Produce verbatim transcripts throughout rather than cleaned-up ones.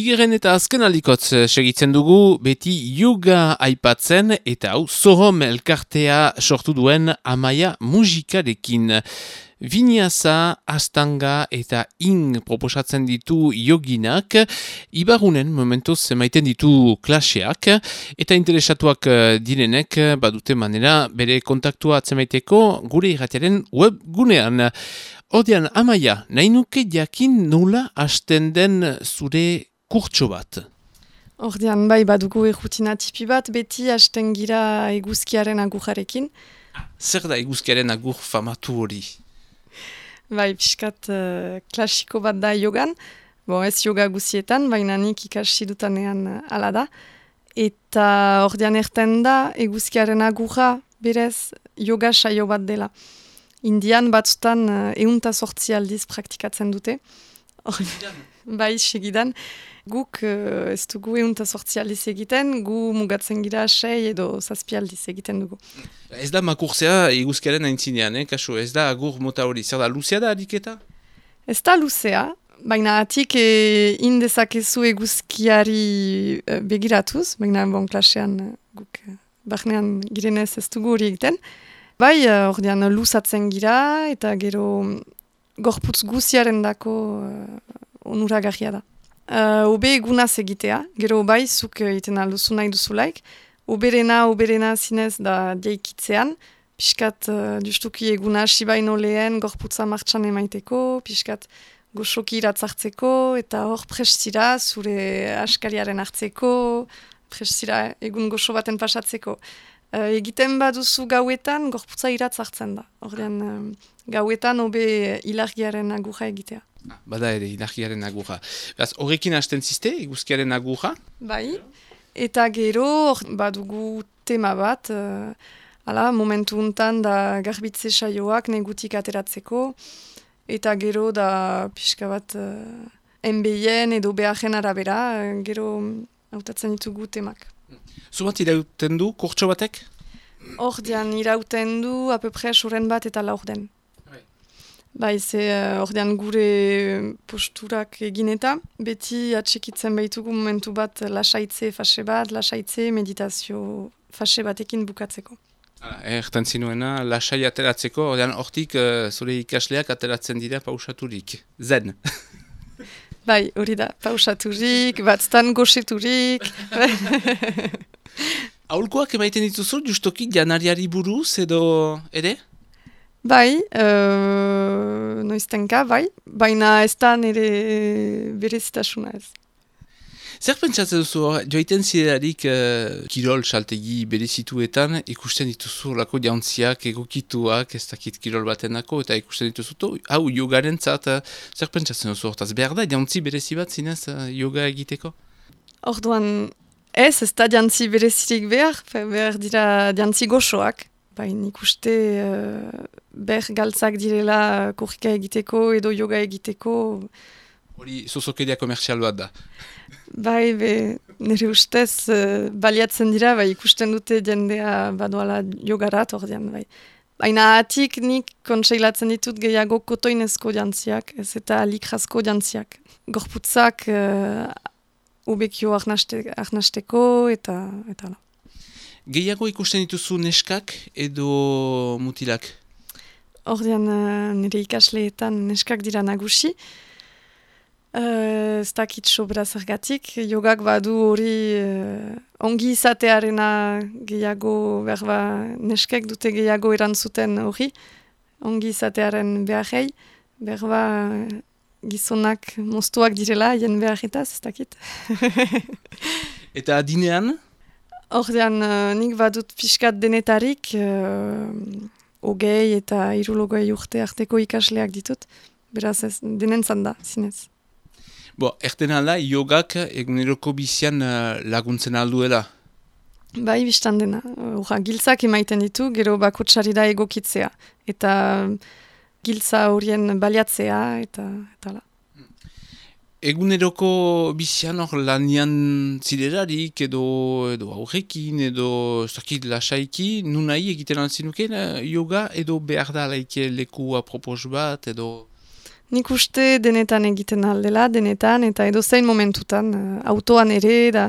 Bigeren eta azken aldikotz segitzen dugu, beti yoga aipatzen eta hau Sohom elkartea sortu duen Amaia musikarekin. Vinyasa, Astanga eta Ing proposatzen ditu yoginak, Ibarunen momentuz emaiten ditu klaseak, eta interesatuak direnek badute manera bere kontaktua atzemaiteko gure irratiaren webgunean. Ordean, Amaia, nahi nuke jakin nola hasten den zure kurtso bat? Ordean, bai, badugu errutina tipi bat, beti hasten gira eguzkiaren agurrarekin. Zer da eguzkiaren agur famatu hori? Bai, pixkat uh, klasiko bat da yogan, bon, ez yoga guzietan, baina nik ikasi dutanean uh, ala da. Eta ordean erten da, eguzkiaren agurra berez yoga saio bat dela. Indian batzutan uh, eunta sortzi aldiz praktikatzen dute. Bai, segidan. Guk uh, ez dugu eunta sortzi aldiz egiten, gu mugatzen gira sei edo zazpi aldiz egiten dugu. Ez da makurzea eguzkiaren aintzinean, eh, kasu, ez da agur mota hori, zer da, luzea da ariketa? Ez da luzea, baina atik e, indezakezu eguzkiari e, begiratuz, baina bon klasean e, guk e, barnean girenez ez dugu hori egiten. Bai, ordean luzatzen gira eta gero gorputz guziaren dako e, onuragarria da. Uh, obe egunaz egitea, gero bai, zuk egiten alduzu nahi duzulaik. Oberena, oberena zinez da diaikitzean, piskat uh, justuki eguna hasi baino lehen gorputza martxan emaiteko, piskat goxoki iratzartzeko, eta hor prestira zure askariaren hartzeko, prestira egun goxo baten pasatzeko. Uh, egiten baduzu gauetan, gorputza iratzartzen da. Ordean, uh, gauetan obe ilargiaren agurra egitea. Ah, bada ere, ilargiaren agurra. Beraz, horrekin hasten ziste, eguzkiaren agurra? Bai, eta gero badugu tema bat, uh, ala, momentu untan da garbitze saioak negutik ateratzeko, eta gero da pixka bat uh, enbeien edo beharen arabera, uh, gero hautatzen ditugu temak. Zubat irauten du, kurtso batek? Ordean irauten du, apepre soren bat eta laur den. Bai, ze uh, ordean gure posturak egin eta, beti atsekitzen baitugu momentu bat lasaitze fase bat, lasaitze meditazio fase batekin bukatzeko. Ertan zinuena, lasai ateratzeko, ordean hortik uh, zure ikasleak ateratzen dira pausaturik. Zen. Bai, hori da, pausaturik, batzutan goxeturik. Aholkoak emaiten dituzu, justoki janariari buruz edo ere? Bai, uh, noiztenka, bai, baina ez da nire berezitasuna ez. Zer pentsatzen duzu, joiten ziderarik uh, kirol saltegi berezituetan, ikusten dituzu lako jauntziak, egokituak, ez dakit kirol batenako, eta ikusten dituzu, to, hau, yogaren zat, uh, zer pentsatzen duzu, hortaz, behar da, jauntzi berezi bat zinez uh, yoga egiteko? Orduan, ez, ez da jantzi berezirik behar, behar dira jantzi goxoak. Baina ikuste uh, ber galtzak direla korrika egiteko edo yoga egiteko. Hori zozokeria komerzial bat da. Bai, be, nire ustez uh, baliatzen dira, bai, ikusten dute jendea badoala jogarat ordean. Bai. Baina atik nik kontseilatzen ditut gehiago kotoinezko jantziak, ez eta likrazko jantziak. Gorputzak uh, ubekio arnasteko eta eta la. Gehiago ikusten dituzu neskak edo mutilak? Ordean uh, nire ikasleetan neskak dira nagusi. Uh, ez dakit sobra zergatik. Jogak badu hori uh, ongi izatearena gehiago berba neskek dute gehiago erantzuten hori. Ongi izatearen beharrei. Berba gizonak moztuak direla, jen beharretaz, ez dakit. Eta adinean? Ordean, uh, nik badut pixkat denetarik, uh, ogei eta irulogoi urte arteko ikasleak ditut. Beraz ez, denentzan da, zinez. Bo, erten alda, yogak eguneroko bizian uh, laguntzen alduela? Bai, biztan dena. Ura, giltzak emaiten ditu, gero bakotsari da egokitzea. Eta giltza horien baliatzea, eta eta la. Eguneroko bizian hor lanian ziderarik edo, edo aurrekin edo zakit lasaiki, nunai egiten altzinuken yoga edo behar da laike leku apropos bat edo... Nik uste denetan egiten aldela, denetan, eta edozein momentutan, uh, autoan ere, da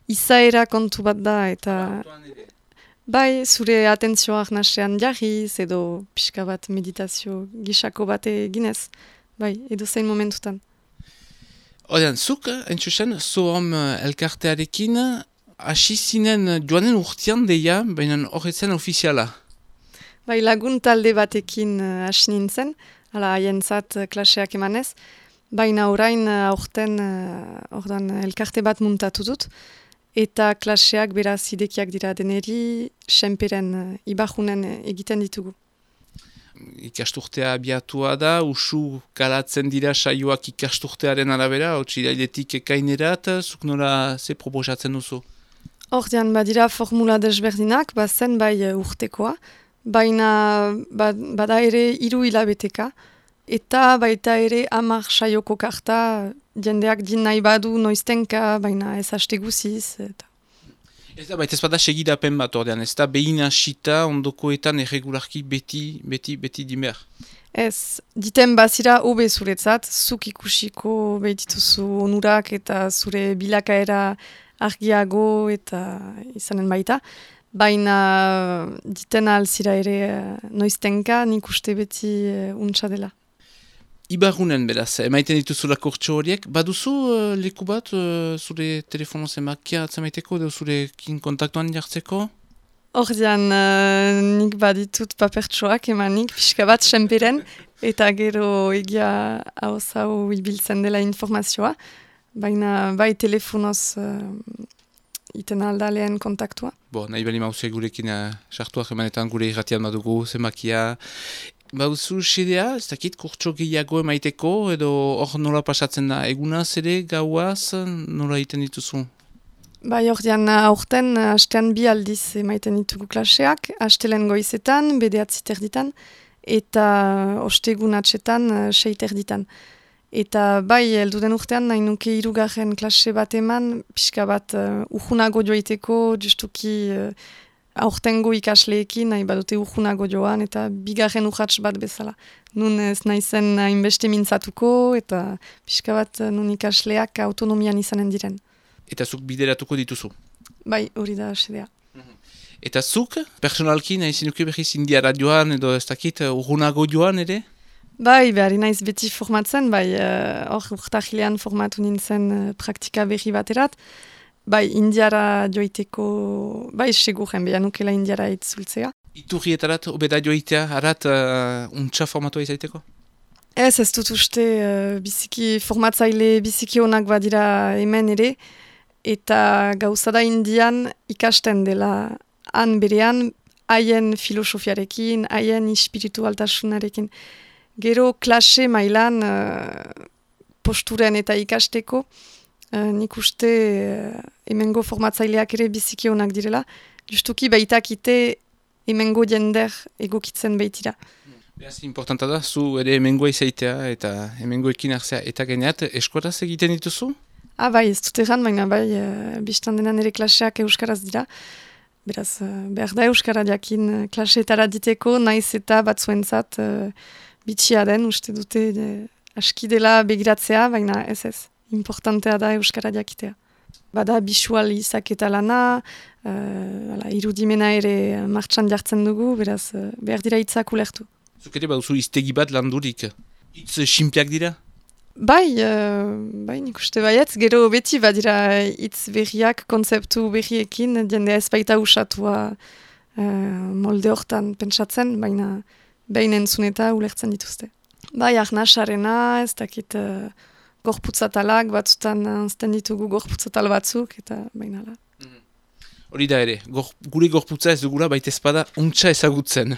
izaera kontu bat da, eta bai, zure atentzioak nasean jarriz, edo pixka bat meditazio gisako bat eginez, bai, edozein momentutan. Odean, zuk, entzusen, Sohom elkartearekin, hasi zinen joanen urtean deia, baina horretzen ofiziala. Bai, lagun talde batekin uh, hasi nintzen, hala haientzat uh, klaseak emanez, baina orain uh, aurten uh, ordan elkarte bat muntatu dut, eta klaseak beraz idekiak dira deneri, senperen uh, ibajunen uh, egiten ditugu. Ikasturtea abiatua da, usu kalatzen dira saioak ikasturtearen arabera, otsirailetik ekainerat, zuk nola ze proposatzen duzu? Ordean badira formula desberdinak, bazen bai uh, urtekoa, baina ba, bada ere hiru hilabeteka, eta baita ere hamar saioko karta, jendeak din nahi badu noiztenka, baina ez haste guziz. Eta. Ez da, baita ez bada segidapen bat ordean, ez da behin hasita ondokoetan erregularki beti, beti, beti dimer. Ez, diten bazira hobe zuretzat, zuk ikusiko behitituzu onurak eta zure bilakaera argiago eta izanen baita. Baina diten alzira ere noiztenka nik uste beti uh, untsa dela. Ibarunen beraz, emaiten dituzula kurtso horiek, baduzu uh, leku bat uh, zure telefono zemakia atzemaiteko edo zurekin kontaktuan jartzeko? Ordean uh, nik baditut papertsoak emanik pixka bat senperen eta gero egia hauz hau ibiltzen dela informazioa, baina bai telefonoz uh, iten alda lehen kontaktua. Bo, nahi bali mauze gurekin sartuak uh, emanetan gure irratian badugu, zemakia. Bauzu xedea, ez dakit kurtso gehiago emaiteko, edo hor nola pasatzen da, egunaz ere, gauaz, nola egiten dituzu? Bai, ordean aurten, hastean bi aldiz emaiten ditugu klaseak, hastelen goizetan, bedeatzi terditan, eta ostegun atxetan, sei terditan. Eta bai, elduden urtean, nahi nuke hirugarren klase bat eman, pixka bat uh, urgunago joiteko, justuki uh, aurtengo ikasleekin, nahi badute urgunago joan, eta bigarren urratx bat bezala. Nun ez naizen hainbeste mintzatuko, eta pixka bat uh, nun ikasleak autonomian izanen diren. Eta zuk bideratuko dituzu? Bai, hori da asedea. Eta zuk, personalki, nahi zinuke behiz indiara joan, edo ez dakit, urgunago joan ere? Bai, behar naiz beti formatzen, bai, hor uh, urtahilean formatu nintzen uh, praktika berri baterat. Bai, indiara joiteko, bai, seguren, beha nukela indiara itzultzea. Iturrietarat, obeda joitea, harat, uh, untxa formatua izaiteko? Ez, ez dut uste, uh, biziki formatzaile, biziki onak badira hemen ere, eta gauzada indian ikasten dela han berean, haien filosofiarekin, haien espiritualtasunarekin. Gero klase mailan uh, posturen eta ikasteko, uh, nik uste uh, hemengo formatzaileak ere biziki onak direla, justuki baitakite hemengo jender egokitzen baitira. Beraz, importanta da, zu ere hemengoa izaitea eta hemengoekin hartzea eta geneat, eskoraz egiten dituzu? Ah, bai, ez dut egan, baina bai, uh, biztan denan ere klaseak euskaraz dira. Beraz, uh, behar da euskara jakin klaseetara diteko, naiz eta batzuentzat uh, bitxia den, uste dute de, aski dela begiratzea, baina ez ez, importantea da euskara jakitea. Bada bisual izaketa lana, uh, ala, irudimena ere martxan jartzen dugu, beraz uh, behar dira hitzak ulertu. Zuk ere baduzu iztegi bat landurik, hitz simpiak dira? Bai, uh, bai nik uste baietz, gero beti badira hitz berriak, kontzeptu berriekin, jendea ez baita usatua uh, molde hortan pentsatzen, baina behin entzun eta ulertzen dituzte. Bai, arnasarena, ez dakit uh, gorputzatalak, batzutan anzten ditugu gorputzatal batzuk, eta baina la. Hori da ere, gor, gure gorputza ez dugula baita ezpada untxa ezagutzen.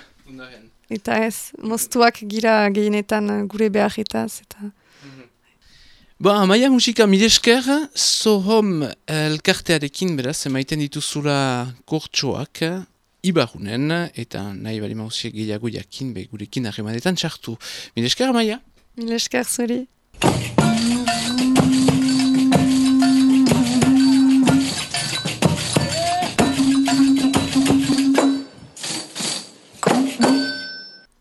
Eta ez, moztuak gira gehienetan gure beharretaz, eta... Ba, Amaia musika milesker, Sohom elkartearekin beraz, emaiten dituzula kurtsoak, Ibarunen, eta nahi bali mauziek gehiago jakin, be gurekin harremanetan txartu. Milesker, Amaia? Milesker, zuri.